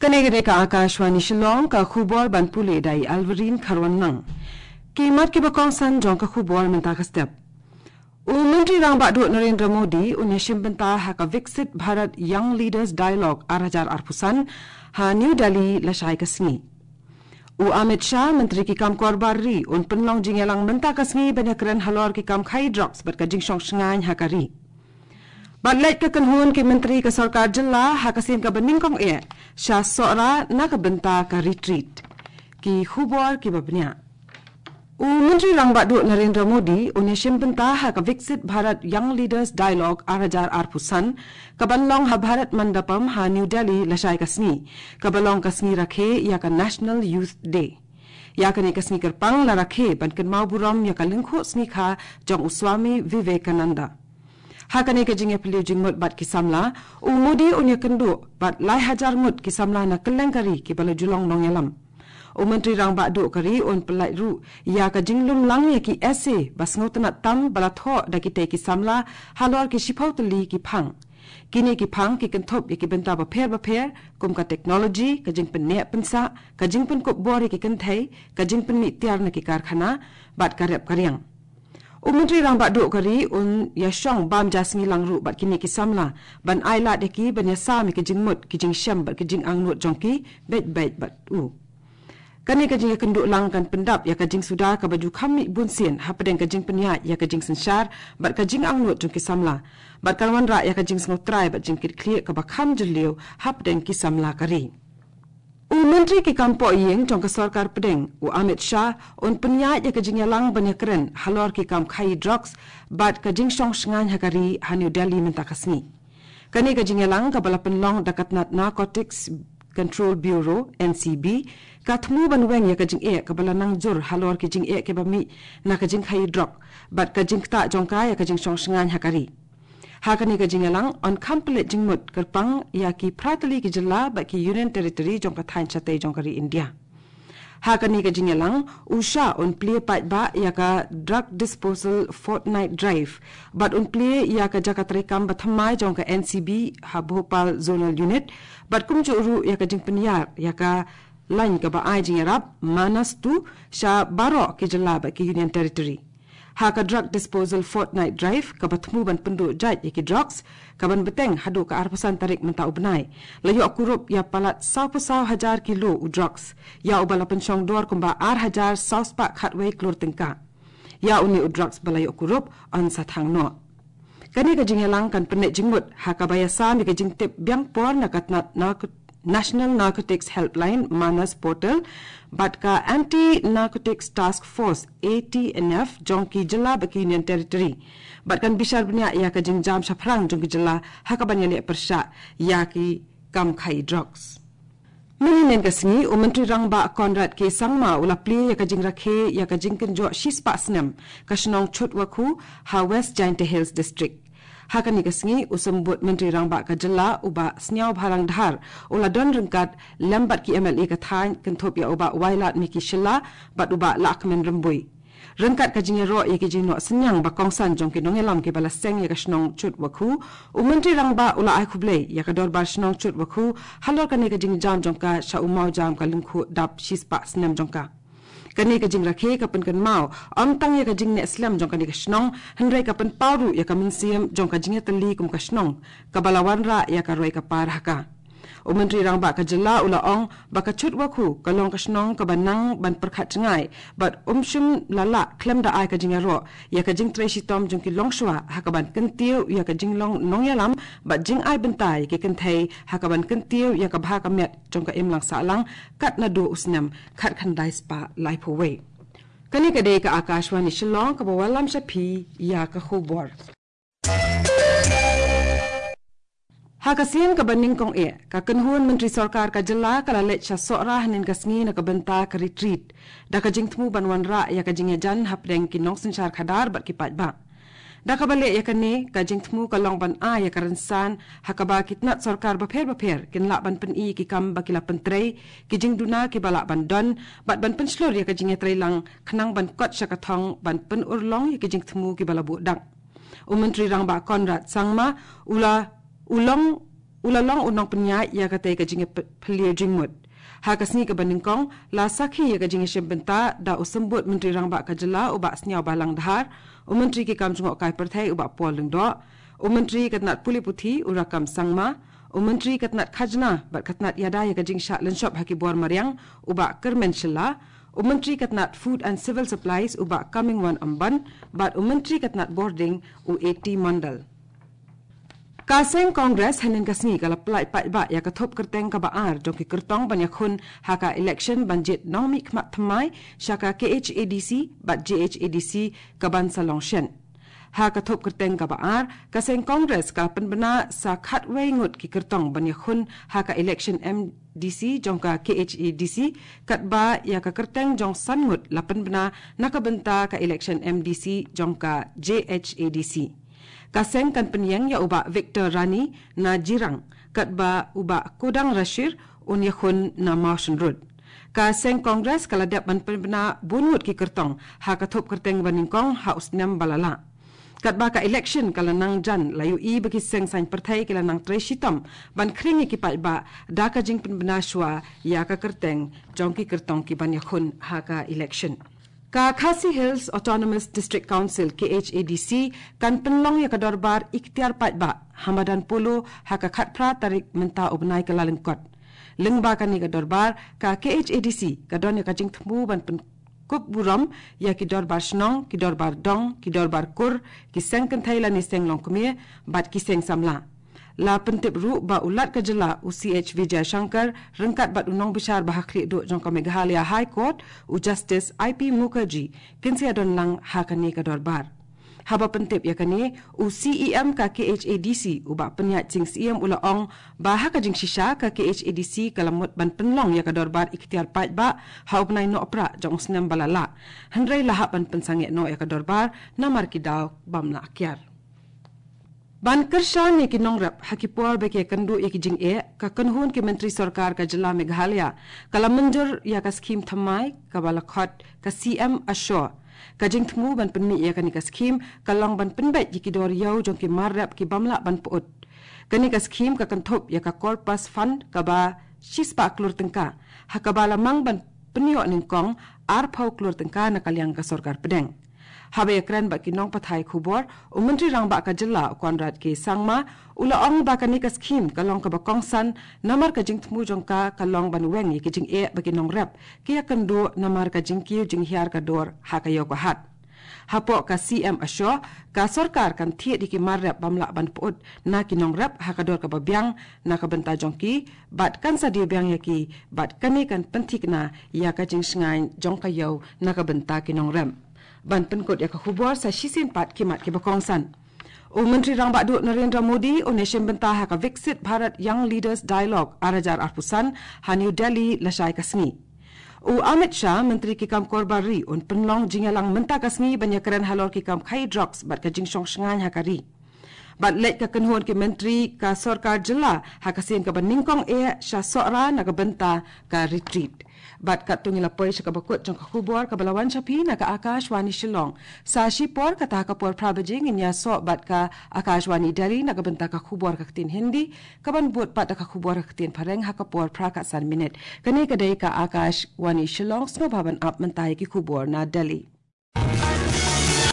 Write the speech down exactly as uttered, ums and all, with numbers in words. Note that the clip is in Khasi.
Kane ka dei ka Akashvani Shillong, ka khubor ban pule da i Alvarin Kharwanlang. Ki mat kiba kongsan jong ka khubor mynta ka step. U Myntri Rangbah Duh Narendra Modi un ïashim bynta ha ka Viksit Bharat Young Leaders Dialogue ar hajar arphew san ha New Delhi lashai ka sngi. U Amit Shah, Myntri ki kam kor bar ri, un pynlong jingïalang mynta ka sngi ban ïakren halor ki kam khaïi drugs bad ka jingshong shngaiñ ha ka ri. Bad leit ka kynhun ki myntri ka sorkar jylla ha ka sien kaba nyngkong eh sha Sohra na ka bynta ka retreat. Ki khubor kiba bniah. U Myntri Rangbah Duh Narendra Modi un ïashim bynta ha ka Viksit Bharat Young Leaders Dialogue ar hajar arphew san, kaban long ha Bharat Mandapam ha New Delhi lashai ka sngi, kaba long ka sngi rakhe ïa ka National Youth Day. Ïa kane ka sngi kyrpang la rakhe ban kynmaw burom ïa ka lyngkhuh sngi kha jong u Swami Vivekananda. Ha kane ka jingïapylliew jingmut bad ki samla, u Modi un ïakynduh bad lai hajar ngut ki samla na kylleng ka ri kiba la ju long nongïalam. U Myntri Rangbah Duh ka ri un pyllait ruh ïa ka jinglum lang ïa ki essay ba sngewtynnat tam ba la thoh da kitei ki samla halor ki shiphew tylli ki phang. Kine ki phang ki kynthup ïa ki bynta bapher bapher, kum ka technology, ka jingpynneh pynsah, ka jingpynkup bor ïa ki kynthei, ka jingpynmih tiar na ki karkhana, bad ka rep ka riang. U Myntri Rangbah Duh ka ri un ïashong bam ja sngi lang ruh bad kine ki samla, ban ai lad ïa ki ban ïasam ïa ki jingmut, ki jingshem bad ki jingangnud jong ki beit beit bad u. Kane ka jingïakynduh lang kan pyndap ïa ka jingsuda kaba ju kham mih bunsien hapdeng ka jingpynïaid ïa ka jingsynshar bad ka jingangnud jong ki samla, bad kan wanrah ïa ka jingsngewtrai bad jingkitkhlieh kaba kham jylliew hapdeng ki samla ka ri. U Myntri ki kam pohïing jong ka sorkar pdeng, u Amit Shah, un pynïaid ïa ka jingïalang ban ïakren halor ki kam khaïi drugs bad ka jingshong shngaiñ ha ka ri ha New Delhi mynta ka sngi. Kane ka jingïalang kaba la pynlong da ka tnat Narcotics Control Bureau, N C B, ka thmu ban weng ïa ka jingeh kaba la nang jur halor ki jingeh kiba mih na ka jingkhaïi drug bad ka jingktah jong ka ïa ka jingshong shngaiñ ha ka ri. Ha kane ka jingïalang yn kham pynleit jingmut kyrpang ïa ki phra tylli ki jylla bad ki Union Territory jong ka thaiñ shatei jong ka ri India. Ha kane ka jingïalang, u Shah un plie paidbah ïa ka Drug Disposal Fortnight Drive bad un plie ïa ka jaka treikam bathymmai jong ka N C B ha Bhopal Zonal Unit, bad kumjuh ruh ïa ka jingpynïar ïa ka lain kaba ai jingïarap Manas Two sha baroh ki jylla bad ki Union Territory. Ha ka Drug Disposal Fortnight Drive kaba thmu ban pynduh jait ïa ki drugs, kaban bteng haduh ka arphew san tarik mynta u bnai, la ïoh kurup ïa palat sawphew saw hajar kilo u drugs, ïa uba la pynshong dor kumba ar hajar saw spah khatwei klur tyngka. Ïa une u drugs ba la ïoh kurup yn sa thang noh. Kane ka jingïalang kan pynneh jingmut ha kaba ïasam ïa ka jingtip biang por na ka tnat narco- National Narcotics Helpline, Manas Portal, bad ka Anti Narcotics Task Force, A T N F, jong ki jylla bad ki Union Territory, bad kan bishar bniah ïa ka jingjam shaphrang jong ki jylla ha kaban ïaleh pyrshah ïa ki kam khaïi drugs. Mynhynnin ka sngi, u Myntri Rangbah Conrad K Sangma u la plie ïa ka jingrakhe ïa ka jingkynjoh shispah snem ka shnong Chutwakhu ha West Jaintia Hills District. Ha kane ka sngi, u Symbud Myntri Rangbah ka jylla, u Bah Sniawbhalang Dhar, u la don ryngkat lem bad ki M L A ka thaiñ, kynthup ïa u Bah Wailadmiki Shylla bad u Bah Lahkmen Rymbui. Ryngkat ka jingïaroh ïa ki jingnoh synñiang ba kongsan jong ki nongïalam kiba la seng ïa ka shnong Chutwakhu, u Myntri Rangbah u la ai khublei ïa ka Dorbar Shnong Chutwakhu halor kane ka jingjam jong ka sha u mawjam ka lyngkhuh dap shispah snem jong ka. Kane ka jingrakhe ka pynkynmaw ym tang ïa ka jingneh slem jong kane ka shnong, hynrei ka pynpaw ruh ïa ka mynsiem jong ka jingïatylli kum ka shnong kaba la wanrah ïa ka roi ka par ha ka. U Myntri Rangbah ka jylla u la ong ba ka Chutwakhu ka long ka shnong kaba nang ban pyrkhat jngai bad um shym la lah khlem da ai ka jingïaroh ïa ka jingtrei shitom jong ki longshuwa ha kaban kyntiew ïa ka jinglong nongïalam bad jingai bynta ïa ki kynthei ha kaban kyntiew ïa ka bha ka miat jong ka imlang sahlang kat naduh u snem khatkhyndai spah laiphew wei. Kane ka dei ka Akashvani Shillong kaba wallam sha phi ïa ka khubor. Ha ka sien kaba nyngkong eh, ka kynhun myntri sorkar ka jylla ka la leit sha Sohra hynnin ka sngi na ka bynta ka retreat, da ka jingthmu ban wanrah ïa ka jingïajan hapdeng ki nongsynshar khadar bad ki paidbah. Da kaba leh ïa kane, ka jingthmu ka long ban ai ïa ka rynsan ha kaba ki tnat sorkar bapher bapher kin lah ban pyni ki kam ba ki la pyntrei, ki jingduna kiba lah ban don, bad ban pynshlur ïa ka jingïatreilang khnang ban kot sha ka thong ban pynurlong ïa ki jingthmu kiba la buh dak. U Myntri Rangbah Conrad Sangma u la, u long u la long u nongpynïaid ïa katei ka jingïapylliew jingmut. Ha ka sngi kaba nyngkong, la sakhi ïa ka jingïashim bynta da u Symbud Myntri Rangbah ka jylla u Bah Sniawbhalang Dhar, u Myntri ki kam jngohkai pyrthei u Bah Paul Lyngdoh, u Myntri ka tnat pule puthi u Rakkam Sangma, u Myntri ka tnat khajna bad ka tnat ïada ïa ka jingshah lynshop ha ki bor mariang u Bah Kyrmen Shylla, u Myntri ka tnat Food and Civil Supplies u Bah Comingone Ymbon, bad u Myntri ka tnat bordiñ u A T Mondal. Ka seng Congress hynnin ka sngi ka la pyllait paidbah ïa ka thup kyrteng kaba ar jong ki kyrtong ban ïakhun ha ka election ban jied nongmihkhmat thymmai sha ka K H A D C bad J H A D C kaban sa long shen. Ha ka thup kyrteng kaba ar, ka seng Congress ka la pynbna sa khatwei ngut ki kyrtong ban ïakhun ha ka election M D C jong ka K H A D C, katba ïa ka kyrteng jong san ngut la pynbna na ka bynta ka election M D C jong ka J H A D C. Ka seng kan pynïeng ïa u Bah Victor Rani na Jirang, katba u Bah Kodang Rashir un ïakhun na Mawshynrut. Ka seng Congress ka la dep ban pynbna bun ngut ki kyrtong ha ka thup kyrteng ba nyngkong ha u snem ba la lah. Katba ka election ka la nang jan, la ïohi ba ki seng saiñ pyrthei ki la nang trei shitom ban khring ïa ki paidbah da ka jingpynbna shuwa ïa ka kyrteng jong ki kyrtong kiban ïakhun ha ka election. Ka Khasi Hills Autonomous District Council, K H A D C, kan pynlong ïa ka dorbar ikhtiar paidbah ha madan polo ha ka khatphra tarik mynta u bnai Kyllalyngkot. Lyngba kane ka dorbar, ka K H A D C ka don ïa ka jingthmu ban pynkup burom ïa ki dorbar shnong, ki dorbar dong, ki dorbar kur, ki seng kynthei lane seng longkmie bad ki seng samla. La pyntip ruh ba u Lat ka jylla u C H Vijayashankar ryngkat bad u nongbishar ba ha khlieh duh jong ka Meghalaya High Court, u Justice I P Mukherjee, kin sa ïadon lang ha kane ka dorbar. Haba pyntip ïa kane, u C E M ka K H A D C u Bah Pynïaid Sing Syiem u la ong ba ha ka jingshisha ka K H A D C ka la mut ban pynlong ïa ka dorbar ikhtiar paidbah ha u bnai Nohprah jong u snem ba la lah. Hynrei la hap ban pynsangeh noh ïa ka dorbar namar ki daw bym lah kiar. Ban kyrshan ïa ki nongrep ha ki por ba ki ïakynduh ïa ki jingeh, ka kynhun ki myntri sorkar ka jylla Meghalaya ka la mynjur ïa ka skhim thymmai kaba la khot ka C M Assure. Ka jingthmu ban pynmih ïa kane ka skhim ka long ban pynbeit ïa ki dor ïew jong ki mar rep ki bym lah ban pyut. Kane ka skhim ka kynthup ïa ka Corpus Fund kaba shispah klur tyngka, ha kaba la mang ban pynïoh nyngkong arphew klur tyngka na ka liang ka sorkar pdeng. Haba ïakren bad ki nongpathai khubor, u Myntri Rangbah ka jylla u Conrad K Sangma u la ong ba kane ka skhim ka long kaba kongsan namar ka jingthmu jong ka ka long ban weng ïa ki jingeh ba ki nongrep ki ïakynduh namar ka jingkiew jinghiar ka dor ha ka ïew ka hat. Hapoh ka C M Assure, ka sorkar kan thied ïa ki mar rep bym lah ban pyut na ki nongrep ha ka dor kaba biang na ka bynta jong ki, bad kan sa die biang ïa ki, bad kane kan pynthikna ïa ka jingshngaiñ jong ka ïew na ka bynta ki nongrep. Ban pynkut ïa ka khubor sa shisien pat ki mat kiba kongsan. U Myntri Rangbah Duh Narendra Modi un ïashim bynta ha ka Viksit Bharat Young Leaders Dialogue ar hajar arphew san ha New Delhi lashai ka sngi. U Amit Shah, Myntri ki kam kor bar ri, un pynlong jingïalang mynta ka sngi ban ïakren halor ki kam khaïi drugs bad ka jingshong shngaiñ ha ka ri. Bad leit ka kynhun ki myntri ka sorkar jylla ha ka sien kaba nyngkong eh sha Sohra na ka bynta ka retreat. Bad katto ngi la poi sha kaba kut jong ka khubor kaba la wan sha phi na ka Akashvani Shillong. Sa shipor kata ha ka por phra baje ngin ïasoh bad ka Akashvani Delhi na ka bynta ka khubor ka ktien Hindi, kaban bud pat da ka khubor ka ktien Phareng ha ka por phra khatsan minit. Kane ka dei ka Akashvani Shillong, sngewbha ban ap mynta ïa ki khubor na Delhi.